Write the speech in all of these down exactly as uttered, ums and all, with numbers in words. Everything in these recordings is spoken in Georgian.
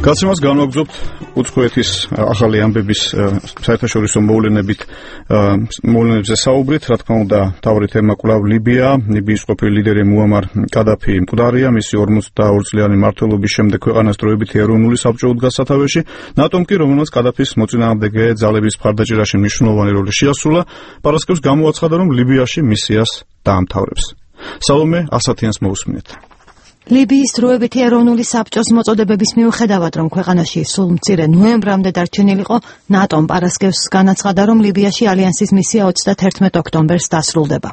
გაცემას განვაგრძობთ უცხოეთის ახალი ამბების საერთაშორისო მოვლენებით მოვლენებზე საუბრით, რა თქმა უნდა, თავი თემა კვლავ ლიბია, ლიბიის ყოფილი ლიდერი მუამარ კადაფი მკვდარია, მისი ორმოცდაორი წლიანი მმართველობის შემდეგ ქვეყანას დროებითი ეროვნული საბჭო უდგა სათავეში, ნატომ კი, რომელმაც კადაფის მოწინააღმდეგე ძალების მხარდაჭერაში მნიშვნელოვანი როლი შეასრულა, პარასკევს გამოაცხადა, რომ ლიბიაში მისიას დაამთავრებს. სალომე ასათიანს მოусმინეთ. ლიბიის დროებითი ეროვნული საბჭოს მოწოდებების მიუხედავად, რომ ქვეყანაში სულ მცირე ნოემბრამდე დარჩენილიყო, ნატომ პარასკევს განაცხადა, რომ ლიბიაში ალიანსის მისია ოცდათერთმეტ ოქტომბერს დასრულდება.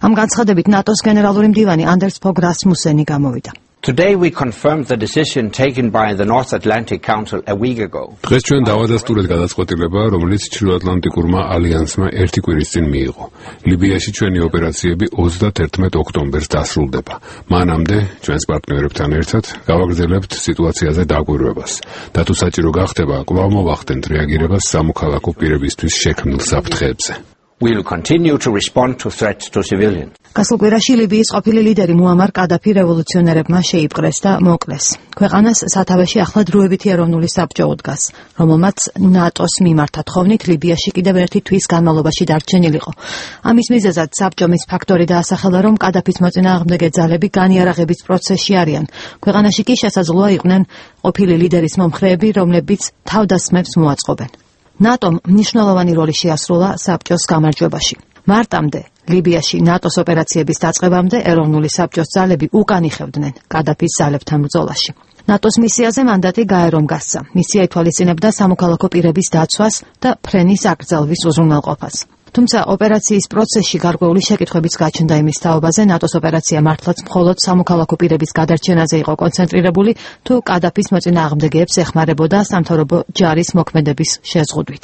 ამ განცხადებით ნატოს გენერალური მდივანი ანდერს ფოგ რასმუსენი გამოვიდა. Today we confirmed the decision taken by the North Atlantic Council a week ago. დღეს ჩვენ დავადასტურეთ გადაწყვეტილება, რომელიც ჩრდილოატლანტიკურმა ალიანსმა ერთი კვირის წინ მიიღო. ლიბიაში ჩვენი ოპერაციები ოცდათერთმეტ ოქტომბერს დასრულდება. მანამდე ჩვენს პარტნიორებთან ერთად გავაგრძელებთ სიტუაციაზე დაკვირვებას. და თუ საჭირო გახდება, კვლავ მოვახდენთ რეაგირებას სამოქალაქო პირებისთვის შექმნილ საფრთხეებზე. We will continue to respond to threats to civilians. გასულ კვირაში ლიბიის ყოფილი ლიდერი მუამარ კადაფი რევოლუციონერებმა შეიპყრეს და მოკლეს. ქვეყანას სათავეში ახლა დროებითი ეროვნული საბჭო უდგას, რომელმაც ნატოს მიმართა თხოვნით ლიბიაში კიდევ ერთი თვის განმავლობაში დარჩენილიყო. ამის მიზეზად საბჭომ ის ფაქტორი დაასახელა, რომ კადაფის მოწინააღმდეგე ძალები განიარაღების პროცესში არიან. ქვეყანაში კი შესაძლოა იყვნენ ყოფილი ლიდერის მომხრეები, რომლებიც თავდასხმებს მოაწყობენ. ნატომ მნიშვნელოვანი როლი შეასრულა საბჭოს გამარჯვებაში. მარტამდე ლიბიაში ნატოს ოპერაციების დაწყებამდე ეროვნული საბჭოს ძალები უკან იხევდნენ კადაფის ძალებთან ბრძოლაში. ნატოს მისიაზე მანდატი გაერომ გასცა. მისია ითვალისწინებდა სამოქალაქო პირების დაცვას და ფრენის აკრძალვის უზრუნველყოფას. თუმცა ოპერაციის პროცესში გარკვეული შეკითხვებიც გაჩნდა იმის თაობაზე, ნატოს ოპერაცია მართლაც მხოლოდ სამოქალაქო პირების გადარჩენაზე იყო კონცენტრირებული, თუ კადაფის მოწინააღმდეგეებს ეხმარებოდა სამთავრობო ჯარის მოქმედების შეზღუდვით.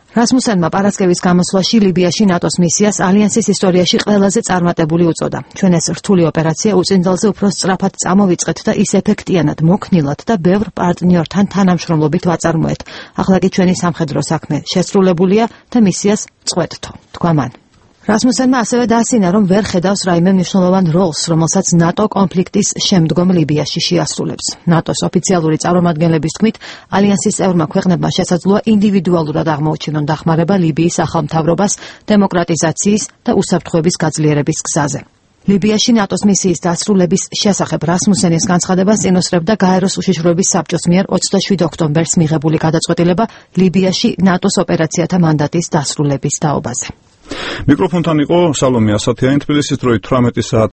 რასმუსენმა პარასკევის გამოსვლაში ლიბიაში ნატოს მისიას ალიანსის ისტორიაში ყველაზე წარმატებული უწოდა. ჩვენ ეს რთული ოპერაცია უწინდელზე უფრო სწრაფად წამოვიწყეთ და ის ეფექტიანად, მოქნილად და ბევრ პარტნიორთან თანამშრომლობით ვაწარმოეთ. ახლა კი ჩვენი სამხედრო საქმე შესრულებულია და მისიას წყვეტთო, თქვა მან. რასმუსენმა ასევე დაასინა, რომ ვერ ხედავს რაიმე მნიშვნელოვან როლს, რომელსაც ნატო კონფლიქტის შემდგომ ლიბიაში შეასრულებს. ნატოს ოფიციალური წარმომადგენლების თქმით, ალიანსის წევრმა ქვეყნებმა შესაძლოა ინდივიდუალურად აღმოუჩინონ დახმარება ლიბიის ახალ მთავრობას დემოკრატიზაციის და უსაფრთხოების გაძლიერების გზაზე. ლიბიაში ნატოს მისიის დასრულების შესახებ რასმუსენის განცხადებას წინუსწრებდა გაეროს უშიშროების საბჭოს მიერ ოცდაშვიდ ოქტომბერს მიღებული გადაწყვეტილება ლიბიაში ნატოს ოპერაციათა მანდატის დასრულების თაობაზე. მიკროფონთან იყო სალომე ასათიანი, თბილისის დროით თვრამეტი საათი